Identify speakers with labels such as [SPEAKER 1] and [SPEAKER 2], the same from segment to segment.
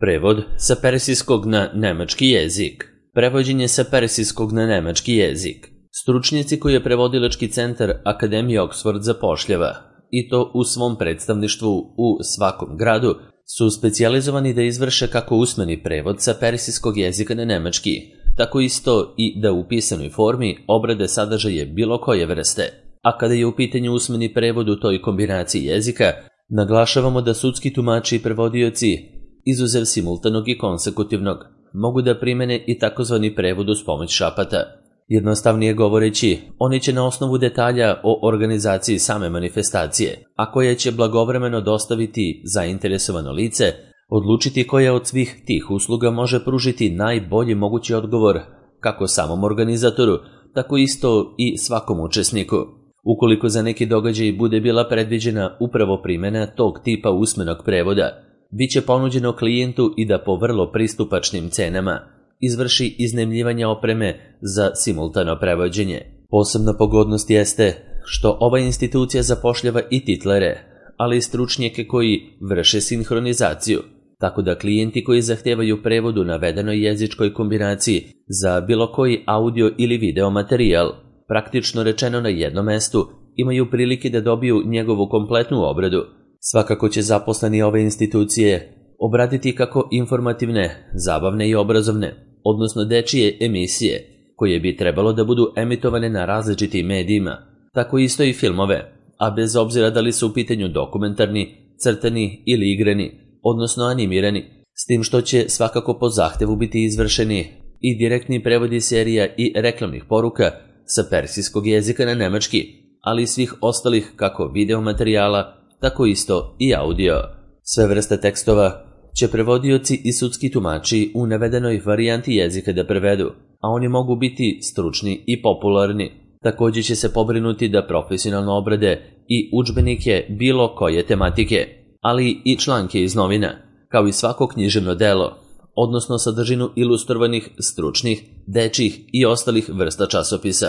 [SPEAKER 1] Prevod sa persijskog na nemački jezik. Prevođenje sa persijskog na nemački jezik. Stručnjaci koje je prevodilački centar Akademije Oxford zapošljava, i to u svom predstavništvu u svakom gradu, su specijalizovani da izvrše kako usmeni prevod sa persijskog jezika na nemački, tako isto i da u pisanoj formi obrade sadržaje bilo koje vrste. A kada je u pitanju usmeni prevod u toj kombinaciji jezika, naglašavamo da sudski tumači i prevodioci, izuzev simultanog i konsekutivnog, mogu da primene i takozvani prevod uz pomoć šapata. Jednostavnije govoreći, oni će na osnovu detalja o organizaciji same manifestacije, a koje će blagovremeno dostaviti zainteresovano lice, odlučiti koja od svih tih usluga može pružiti najbolji mogući odgovor kako samom organizatoru, tako isto i svakom učesniku. Ukoliko za neki događaj bude bila predviđena upravo primjena tog tipa usmenog prevoda, bit će ponuđeno klijentu i da po vrlo pristupačnim cenama izvrši iznajmljivanje opreme za simultano prevođenje. Posebna pogodnost jeste što ova institucija zapošljava i titlere, ali i stručnjake koji vrše sinhronizaciju, tako da klijenti koji zahtevaju prevod u navedenoj jezičkoj kombinaciji za bilo koji audio ili video materijal, praktično rečeno na jednom mestu, imaju prilike da dobiju njegovu kompletnu obradu. Svakako će zaposleni ove institucije obraditi kako informativne, zabavne i obrazovne, odnosno dečije emisije, koje bi trebalo da budu emitovane na različitim medijima, tako isto i filmove, a bez obzira da li su u pitanju dokumentarni, crtani ili igrani, odnosno animirani, s tim što će svakako po zahtevu biti izvršeni i direktni prevodi serija i reklamnih poruka sa persijskog jezika na nemački, ali i svih ostalih kako video materijala, tako isto i audio. Sve vrste tekstova će prevodioci i sudski tumači u navedenoj varijanti jezika da prevedu, a oni mogu biti stručni i popularni. Također će se pobrinuti da profesionalno obrade i udžbenike bilo koje tematike, ali i članke iz novina, kao i svako književno delo, odnosno sadržinu ilustrovanih, stručnih, dečjih i ostalih vrsta časopisa.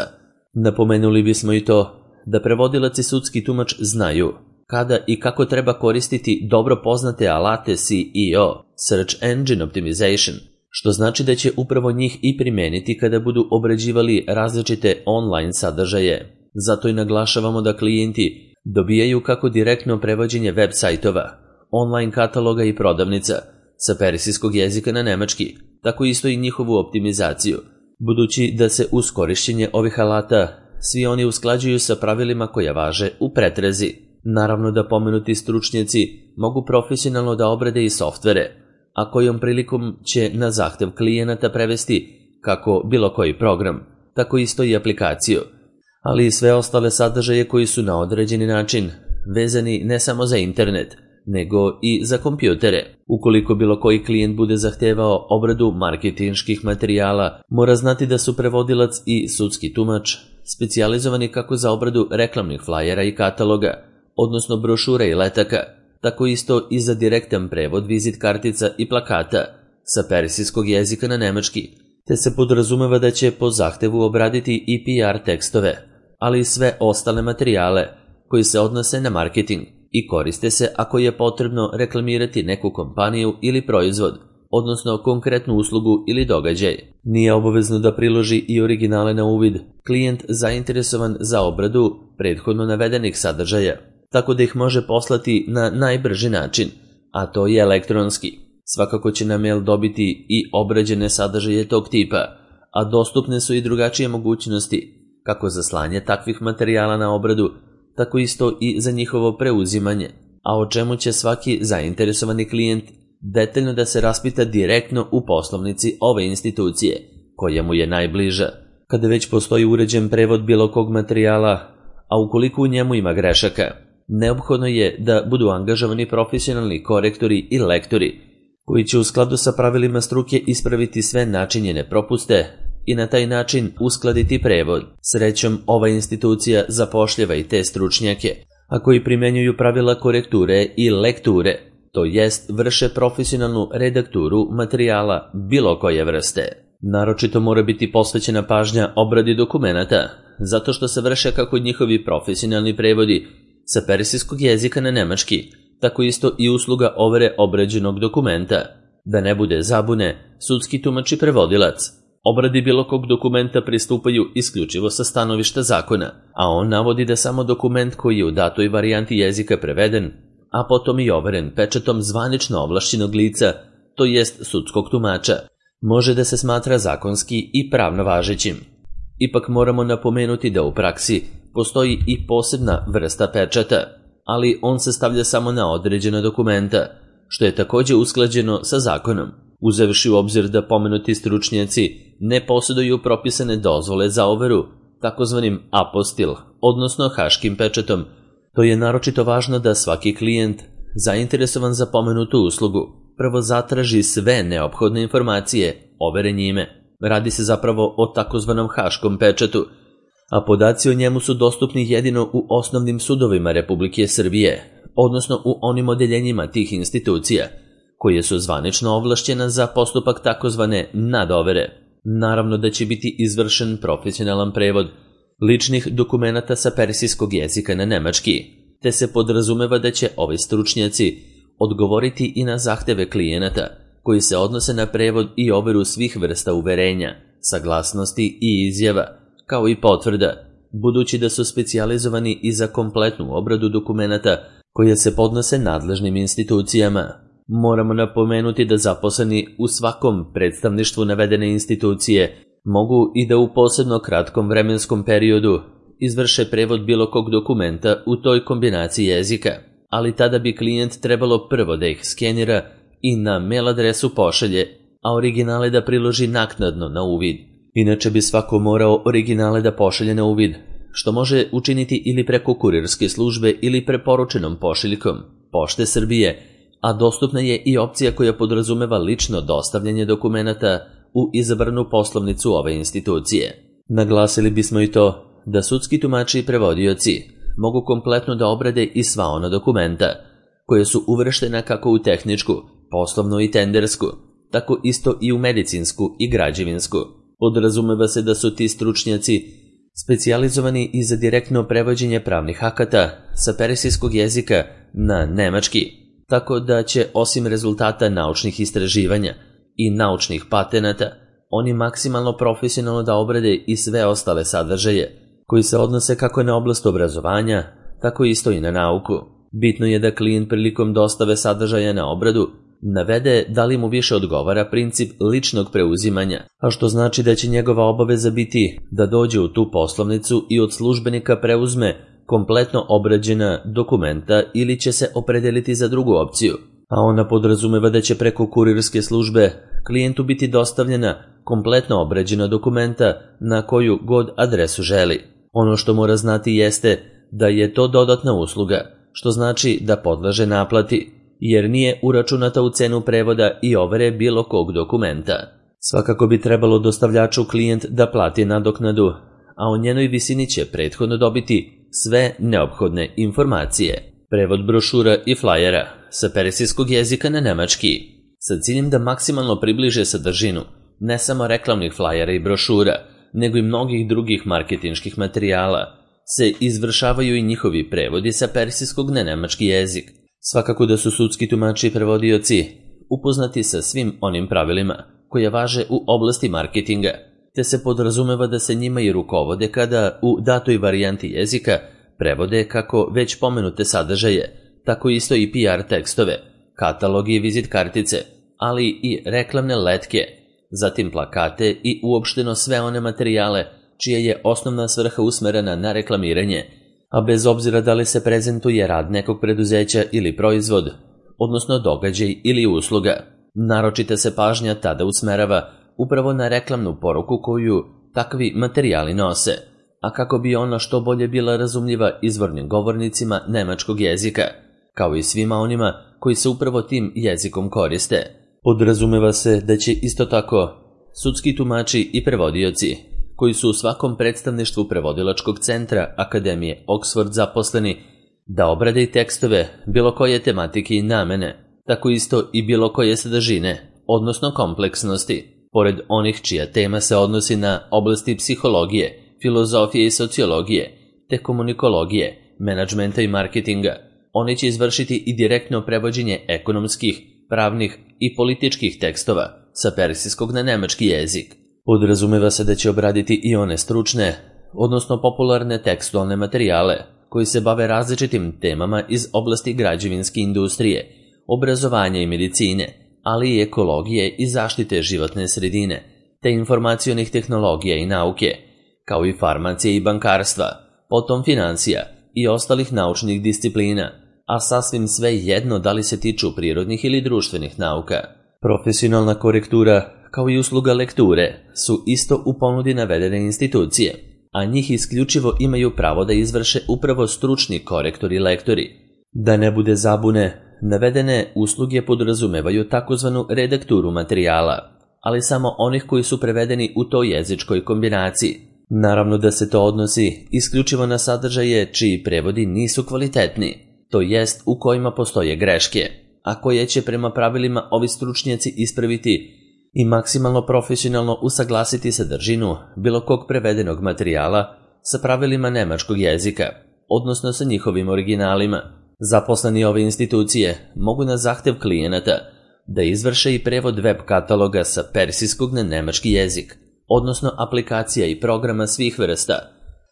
[SPEAKER 1] Napomenuli bismo i to da prevodilac i sudski tumač znaju kada i kako treba koristiti dobro poznate alate SEO, Search Engine Optimization, što znači da će upravo njih i primeniti kada budu obrađivali različite online sadržaje. Zato i naglašavamo da klijenti dobijaju kako direktno prevođenje web sajtova, online kataloga i prodavnica sa persijskog jezika na nemački, tako isto i njihovu optimizaciju, budući da se uz korišćenje ovih alata svi oni usklađuju sa pravilima koja važe u pretrazi. Naravno da pomenuti stručnjaci mogu profesionalno da obrade i softvere, a kojom prilikom će na zahtev klijenata prevesti kako bilo koji program, tako isto i aplikaciju, ali i sve ostale sadržaje koji su na određeni način vezani ne samo za internet, nego i za kompjutere. Ukoliko bilo koji klijent bude zahtevao obradu marketinških materijala, mora znati da su prevodilac i sudski tumač specijalizovani kako za obradu reklamnih flajera i kataloga, odnosno brošura i letaka, tako isto i za direktan prevod vizit kartica i plakata sa persijskog jezika na nemački, te se podrazumeva da će po zahtevu obraditi i PR tekstove, ali i sve ostale materijale koji se odnose na marketing i koriste se ako je potrebno reklamirati neku kompaniju ili proizvod, odnosno konkretnu uslugu ili događaj. Nije obavezno da priloži i originale na uvid klijent zainteresovan za obradu prethodno navedenih sadržaja, tako da ih može poslati na najbrži način, a to je elektronski. Svakako će na mail dobiti i obrađene sadržaje tog tipa, a dostupne su i drugačije mogućnosti, kako za slanje takvih materijala na obradu, tako isto i za njihovo preuzimanje, a o čemu će svaki zainteresovani klijent detaljno da se raspita direktno u poslovnici ove institucije, koja mu je najbliža. Kada već postoji uređen prevod bilo kog materijala, a ukoliko u njemu ima grešaka, neophodno je da budu angažovani profesionalni korektori i lektori, koji će u skladu sa pravilima struke ispraviti sve načinjene propuste i na taj način uskladiti prevod. Srećom, ova institucija zapošljava i te stručnjake, a koji primenjuju pravila korekture i lekture, to jest vrše profesionalnu redakturu materijala bilo koje vrste. Naročito mora biti posvećena pažnja obradi dokumenata, zato što se vrše kako njihovi profesionalni prevodi sa persijskog jezika na nemački, tako isto i usluga overe obrađenog dokumenta, Da ne bude zabune, sudski tumač i prevodilac obradi bilo kog dokumenta pristupaju isključivo sa stanovišta zakona, a on navodi da samo dokument koji je u datoj varijanti jezika preveden, a potom i overen pečatom zvanično ovlašćenog lica, to jest sudskog tumača, može da se smatra zakonski i pravno važećim. Ipak moramo napomenuti da u praksi postoji i posebna vrsta pečata, ali on se stavlja samo na određena dokumenta, što je takođe usklađeno sa zakonom, uzevši u obzir da pomenuti stručnjaci ne posjeduju propisane dozvole za overu, takozvanim apostil, odnosno haškim pečatom. To je naročito važno da svaki klijent, zainteresovan za pomenutu uslugu, prvo zatraži sve neophodne informacije, overe njime. Radi se zapravo o takozvanom haškom pečatu, a podaci o njemu su dostupni jedino u osnovnim sudovima Republike Srbije, odnosno u onim odeljenjima tih institucija, koje su zvanično ovlašćena za postupak takozvane nadovere. Naravno da će biti izvršen profesionalan prevod ličnih dokumenata sa persijskog jezika na nemački, te se podrazumeva da će ovi stručnjaci odgovoriti i na zahteve klijenata, koji se odnose na prevod i overu svih vrsta uverenja, saglasnosti i izjava, kao i potvrda, budući da su specijalizovani i za kompletnu obradu dokumenata koje se podnose nadležnim institucijama. Moramo napomenuti da zaposleni u svakom predstavništvu navedene institucije mogu i da u posebno kratkom vremenskom periodu izvrše prevod bilo kog dokumenta u toj kombinaciji jezika, ali tada bi klijent trebalo prvo da ih skenira i na mail adresu pošalje, a originale da priloži naknadno na uvid. Inače bi svako morao originale da pošalje na uvid, što može učiniti ili preko kurirske službe ili preporučenom pošiljkom Pošte Srbije, a dostupna je i opcija koja podrazumeva lično dostavljanje dokumenata u izabranu poslovnicu ove institucije. Naglasili bismo i to da sudski tumači i prevodioci mogu kompletno da obrade i sva ona dokumenta, koje su uvrštena kako u tehničku, poslovnu i tendersku, tako isto i u medicinsku i građevinsku. Podrazumeva se da su ti stručnjaci specijalizovani i za direktno prevođenje pravnih akata sa persijskog jezika na nemački, tako da će osim rezultata naučnih istraživanja i naučnih patenata, oni maksimalno profesionalno da obrade i sve ostale sadržaje koji se odnose kako na oblast obrazovanja, tako isto i na nauku. Bitno je da klijent prilikom dostave sadržaja na obradu navede da li mu više odgovara princip ličnog preuzimanja, a što znači da će njegova obaveza biti da dođe u tu poslovnicu i od službenika preuzme kompletno obrađena dokumenta ili će se opredeliti za drugu opciju, a ona podrazumeva da će preko kurirske službe klijentu biti dostavljena kompletno obrađena dokumenta na koju god adresu želi. Ono što mora znati jeste da je to dodatna usluga, što znači da podleže naplati, jer nije uračunata u cenu prevoda i overe bilo kog dokumenta. Svakako bi trebalo dostavljaču klijent da plati nadoknadu, a o njenoj visini će prethodno dobiti sve neophodne informacije. Prevod brošura i flajera sa persijskog jezika na nemački, sa ciljem da maksimalno približe sadržinu ne samo reklamnih flajera i brošura, nego i mnogih drugih marketinških materijala, se izvršavaju i njihovi prevodi sa persijskog na nemački jezik. Svakako da su sudski tumači i prevodioci upoznati sa svim onim pravilima koje važe u oblasti marketinga, te se podrazumeva da se njima i rukovode kada u datoj varijanti jezika prevode kako već pomenute sadržaje, tako isto i PR tekstove, katalogi i vizit kartice, ali i reklamne letke, zatim plakate i uopšteno sve one materijale čija je osnovna svrha usmerena na reklamiranje, a bez obzira da li se prezentuje rad nekog preduzeća ili proizvod, odnosno događaj ili usluga. Naročita se pažnja tada usmerava upravo na reklamnu poruku koju takvi materijali nose, a kako bi ona što bolje bila razumljiva izvornim govornicima nemačkog jezika, kao i svima onima koji se upravo tim jezikom koriste. Podrazumeva se da će isto tako sudski tumači i prevodioci, koji su u svakom predstavništvu prevodilačkog centra Akademije Oxford zaposleni, da obrade i tekstove bilo koje tematike i namene, tako isto i bilo koje sadržine, odnosno kompleksnosti, pored onih čija tema se odnosi na oblasti psihologije, filozofije i sociologije, te komunikologije, menadžmenta i marketinga. Oni će izvršiti i direktno prevođenje ekonomskih, pravnih i političkih tekstova sa persijskog na nemački jezik. Podrazumeva se da će obraditi i one stručne, odnosno popularne tekstualne materijale koji se bave različitim temama iz oblasti građevinske industrije, obrazovanja i medicine, ali i ekologije i zaštite životne sredine, te informacionih tehnologija i nauke, kao i farmacije i bankarstva, potom financija i ostalih naučnih disciplina, a sasvim sve jedno da li se tiču prirodnih ili društvenih nauka. Profesionalna korektura, kao i usluga lekture, su isto u ponudi navedene institucije, a njih isključivo imaju pravo da izvrše upravo stručni korektori i lektori. Da ne bude zabune, navedene usluge podrazumevaju takozvanu redakturu materijala, ali samo onih koji su prevedeni u toj jezičkoj kombinaciji. Naravno da se to odnosi isključivo na sadržaje čiji prevodi nisu kvalitetni, to jest u kojima postoje greške, a koje će prema pravilima ovi stručnjaci ispraviti i maksimalno profesionalno usaglasiti sadržinu bilo kog prevedenog materijala sa pravilima nemačkog jezika, odnosno sa njihovim originalima. Zaposleni ove institucije mogu na zahtev klijenata da izvrše i prevod web kataloga sa persijskog na nemački jezik, odnosno aplikacija i programa svih vrsta,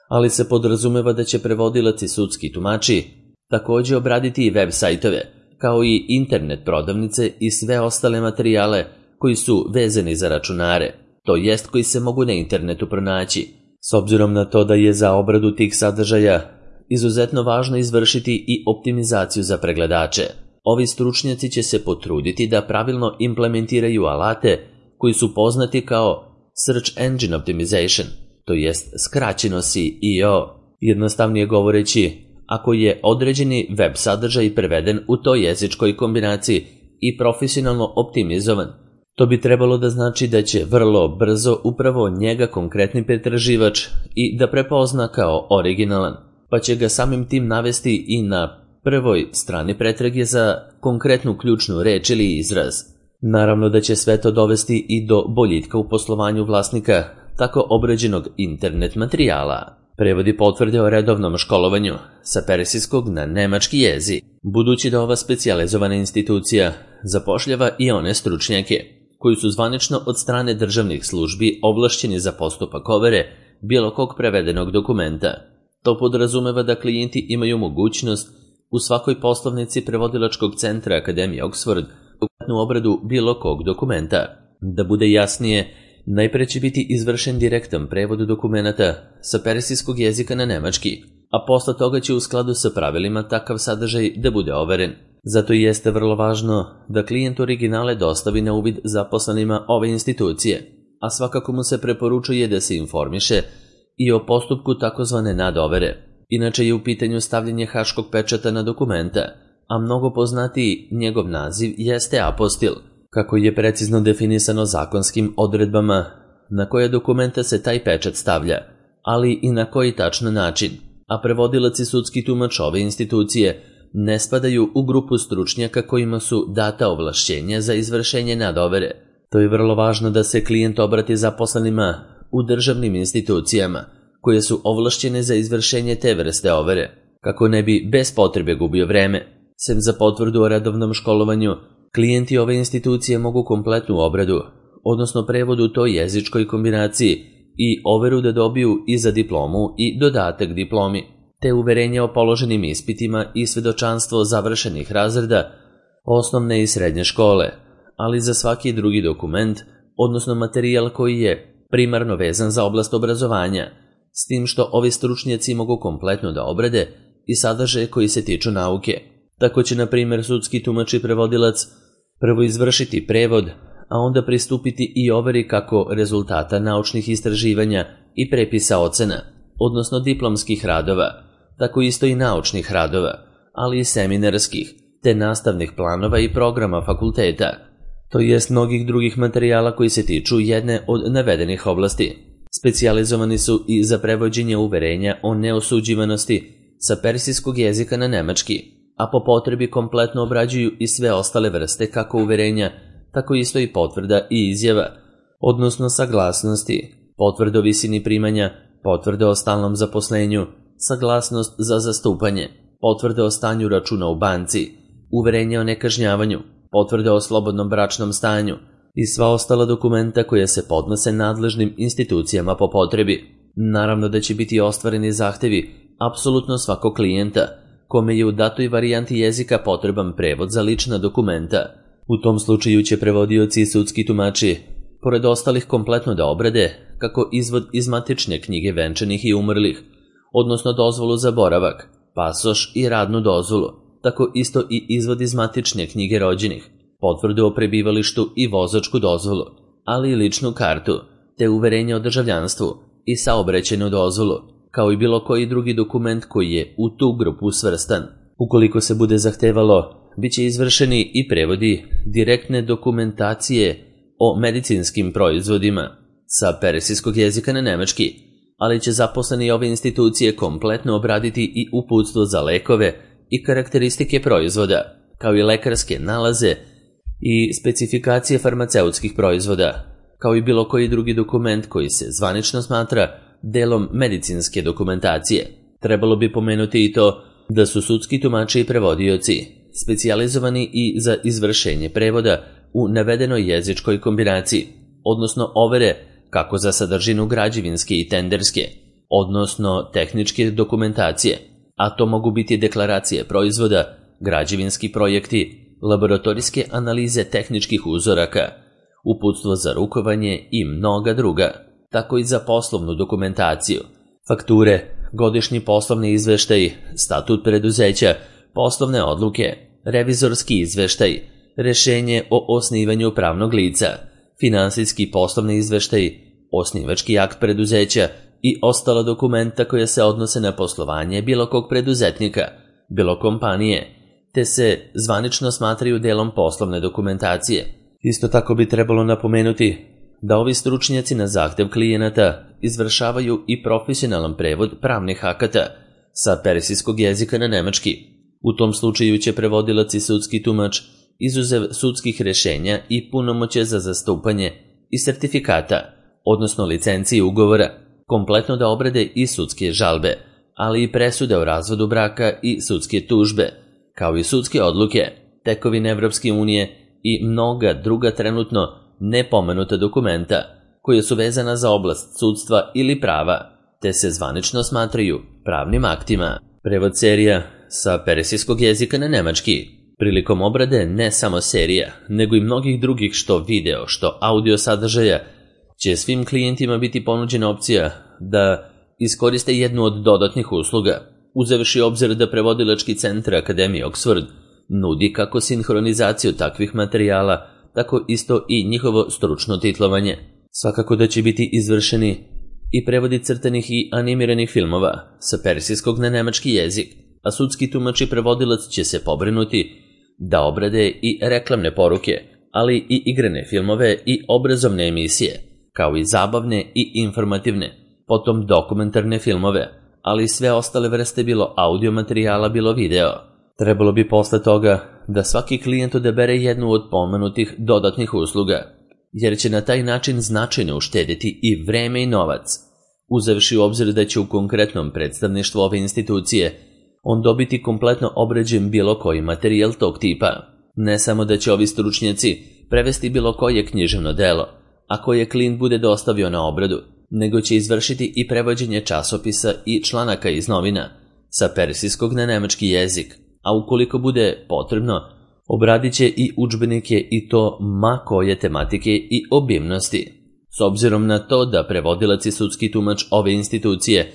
[SPEAKER 1] ali se podrazumeva da će prevodilac i sudski tumači također obraditi i web sajtove, kao i internet prodavnice i sve ostale materijale koji su vezani za računare, to jest koji se mogu na internetu pronaći. S obzirom na to da je za obradu tih sadržaja izuzetno važno izvršiti i optimizaciju za pregledače, ovi stručnjaci će se potruditi da pravilno implementiraju alate koji su poznati kao Search Engine Optimization, to jest skraćeno SEO. Jednostavnije govoreći, ako je određeni web sadržaj preveden u toj jezičkoj kombinaciji i profesionalno optimizovan, to bi trebalo da znači da će vrlo brzo upravo njega konkretni pretraživač i da prepozna kao originalan, pa će ga samim tim navesti i na prvoj strani pretrage za konkretnu ključnu reč ili izraz. Naravno da će sve to dovesti i do boljitka u poslovanju vlasnika tako obrađenog internet materijala. Prevodi potvrde o redovnom školovanju sa persijskog na nemački jezik, budući da ova specijalizovana institucija zapošljava i one stručnjake koji su zvanično od strane državnih službi ovlašćeni za postupak overe bilo kog prevedenog dokumenta. To podrazumeva da klijenti imaju mogućnost u svakoj poslovnici prevodilačkog centra Akademije Oxford u obradu bilo kog dokumenta. Da bude jasnije, najpre će biti izvršen direktan prevod dokumenta sa persijskog jezika na nemački, a posle toga će u skladu sa pravilima takav sadržaj da bude overen. Zato i jeste vrlo važno da klijent originale dostavi na uvid zaposlenima ove institucije, a svakako mu se preporučuje da se informiše i o postupku takozvane nadovere. Inače je u pitanju stavljanje haškog pečata na dokumenta, a mnogo poznatiji njegov naziv jeste apostil, kako je precizno definisano zakonskim odredbama na koje dokumenta se taj pečat stavlja, ali i na koji tačno način, a prevodilac i sudski tumač ove institucije ne spadaju u grupu stručnjaka kojima su data ovlašćenja za izvršenje nadovere. To je vrlo važno da se klijent obrati zaposlenima u državnim institucijama koje su ovlašćene za izvršenje te vrste overe, kako ne bi bez potrebe gubio vreme. Sem za potvrdu o redovnom školovanju, klijenti ove institucije mogu kompletnu obradu, odnosno prevod u toj jezičkoj kombinaciji i overu da dobiju i za diplomu i dodatak diplomi, te uverenje o položenim ispitima i svedočanstvo završenih razreda osnovne i srednje škole, ali za svaki drugi dokument, odnosno materijal koji je primarno vezan za oblast obrazovanja, s tim što ovi stručnjaci mogu kompletno da obrade i sadržaje koji se tiču nauke. Tako će, na primjer, sudski tumač i prevodilac prvo izvršiti prevod, a onda pristupiti i overi kako rezultata naučnih istraživanja i prepisa ocena, odnosno diplomskih radova, tako isto i naučnih radova, ali i seminarskih, te nastavnih planova i programa fakulteta, to jest mnogih drugih materijala koji se tiču jedne od navedenih oblasti. Specijalizovani su i za prevođenje uverenja o neosuđivanosti sa persijskog jezika na nemački, a po potrebi kompletno obrađuju i sve ostale vrste kako uverenja, tako isto i potvrda i izjava, odnosno saglasnosti, potvrda o visini primanja, potvrda o stalnom zaposlenju, saglasnost za zastupanje, potvrda o stanju računa u banci, uverenje o nekažnjavanju, potvrde o slobodnom bračnom stanju i sva ostala dokumenta koja se podnose nadležnim institucijama po potrebi. Naravno da će biti ostvareni zahtevi apsolutno svakog klijenta, kome je u datoj varijanti jezika potreban prevod za lična dokumenta. U tom slučaju će prevodioci i sudski tumači, pored ostalih, kompletno da obrade kako izvod iz matične knjige venčanih i umrlih, odnosno dozvolu za boravak, pasoš i radnu dozvolu, tako isto i izvod iz matične knjige rođenih, potvrdu o prebivalištu i vozačku dozvolu, ali i ličnu kartu, te uverenje o državljanstvu i saobraćajnu dozvolu, kao i bilo koji drugi dokument koji je u tu grupu svrstan. Ukoliko se bude zahtevalo, bit će izvršeni i prevodi direktne dokumentacije o medicinskim proizvodima sa persijskog jezika na nemački, ali će zaposleni ove institucije kompletno obraditi i uputstvo za lekove i karakteristike proizvoda, kao i lekarske nalaze i specifikacije farmaceutskih proizvoda, kao i bilo koji drugi dokument koji se zvanično smatra delom medicinske dokumentacije. Trebalo bi pomenuti i to da su sudski tumači i prevodioci specijalizovani i za izvršenje prevoda u navedenoj jezičkoj kombinaciji, odnosno overe kako za sadržinu građevinske i tenderske, odnosno tehničke dokumentacije, a to mogu biti deklaracije proizvoda, građevinski projekti, laboratorijske analize tehničkih uzoraka, uputstvo za rukovanje i mnoga druga, tako i za poslovnu dokumentaciju, fakture, godišnji poslovni izveštaj, statut preduzeća, poslovne odluke, revizorski izveštaj, rešenje o osnivanju pravnog lica, finansijski poslovni izveštaj, osnivački akt preduzeća i ostala dokumenta koja se odnose na poslovanje bilo kog preduzetnika, bilo kompanije, te se zvanično smatraju delom poslovne dokumentacije. Isto tako bi trebalo napomenuti da ovi stručnjaci na zahtev klijenata izvršavaju i profesionalan prevod pravnih akata sa persijskog jezika na nemački. U tom slučaju će prevodilac i sudski tumač, izuzev sudskih rešenja i punomoće za zastupanje i sertifikata, odnosno licencije ugovora, kompletno da obrade i sudske žalbe, ali i presude o razvodu braka i sudske tužbe, kao i sudske odluke, tekovine Evropske unije i mnoga druga trenutno nepomenuta dokumenta koja su vezana za oblast sudstva ili prava, te se zvanično smatraju pravnim aktima. Prevod serija sa persijskog jezika na nemački. Prilikom obrade ne samo serija, nego i mnogih drugih što video, što audio sadržaja, će svim klijentima biti ponuđena opcija da iskoriste jednu od dodatnih usluga, uzevši obzir da prevodilački centar Akademije Oxford nudi kako sinhronizaciju takvih materijala, tako isto i njihovo stručno titlovanje. Svakako da će biti izvršeni i prevodi crtanih i animiranih filmova sa persijskog na nemački jezik, a sudski tumač i prevodilac će se pobrinuti da obrade i reklamne poruke, ali i igrane filmove i obrazovne emisije, kao i zabavne i informativne, potom dokumentarne filmove, ali i sve ostale vrste bilo audio materijala, bilo video. Trebalo bi posle toga da svaki klijent odabere jednu od pomenutih dodatnih usluga, jer će na taj način značajno uštediti i vreme i novac, uzevši u obzir da će u konkretnom predstavništvu ove institucije on dobiti kompletno obrađen bilo koji materijal tog tipa. Ne samo da će ovi stručnjaci prevesti bilo koje književno delo, a koje klijent bude dostavio na obradu, nego će izvršiti i prevođenje časopisa i članaka iz novina sa persijskog na nemački jezik, a ukoliko bude potrebno, obradit će i udžbenike i to ma koje tematike i obimnosti. S obzirom na to da prevodilac i sudski tumač ove institucije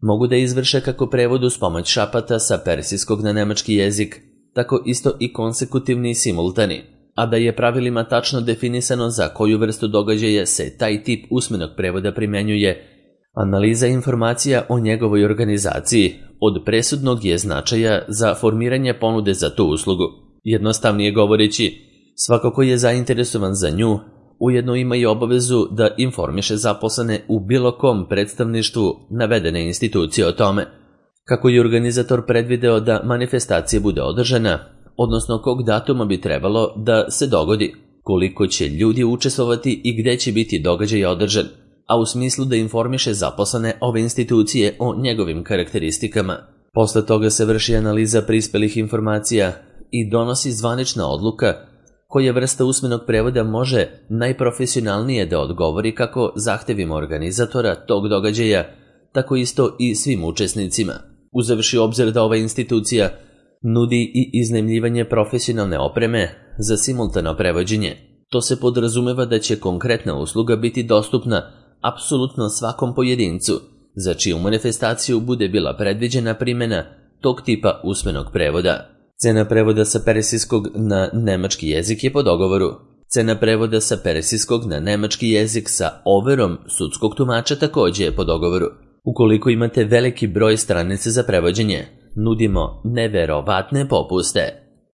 [SPEAKER 1] mogu da izvrše kako prevod uz pomoć šapata sa persijskog na nemački jezik, tako isto i konsekutivni i simultani, a da je pravilima tačno definisano za koju vrstu događaja se taj tip usmenog prevoda primenjuje, analiza informacija o njegovoj organizaciji od presudnog je značaja za formiranje ponude za tu uslugu. Jednostavnije govoreći, svako ko je zainteresovan za nju, ujedno ima i obavezu da informiše zaposlene u bilo kom predstavništvu navedene institucije o tome, kako je organizator predvideo da manifestacija bude održana, odnosno kog datuma bi trebalo da se dogodi, koliko će ljudi učestvovati i gde će biti događaj održan, a u smislu da informiše zaposlene ove institucije o njegovim karakteristikama. Posle toga se vrši analiza prispelih informacija i donosi zvanična odluka koja vrsta usmenog prevoda može najprofesionalnije da odgovori kako zahtevima organizatora tog događaja, tako isto i svim učesnicima, uzevši obzir da ova institucija nudi i iznajmljivanje profesionalne opreme za simultano prevođenje. To se podrazumeva da će konkretna usluga biti dostupna apsolutno svakom pojedincu, za čiju manifestaciju bude bila predviđena primjena tog tipa usmenog prevoda. Cena prevoda sa persijskog na nemački jezik je po dogovoru. Cena prevoda sa persijskog na nemački jezik sa overom sudskog tumača takođe je po dogovoru. Ukoliko imate veliki broj stranica za prevođenje, nudimo neverovatne popuste.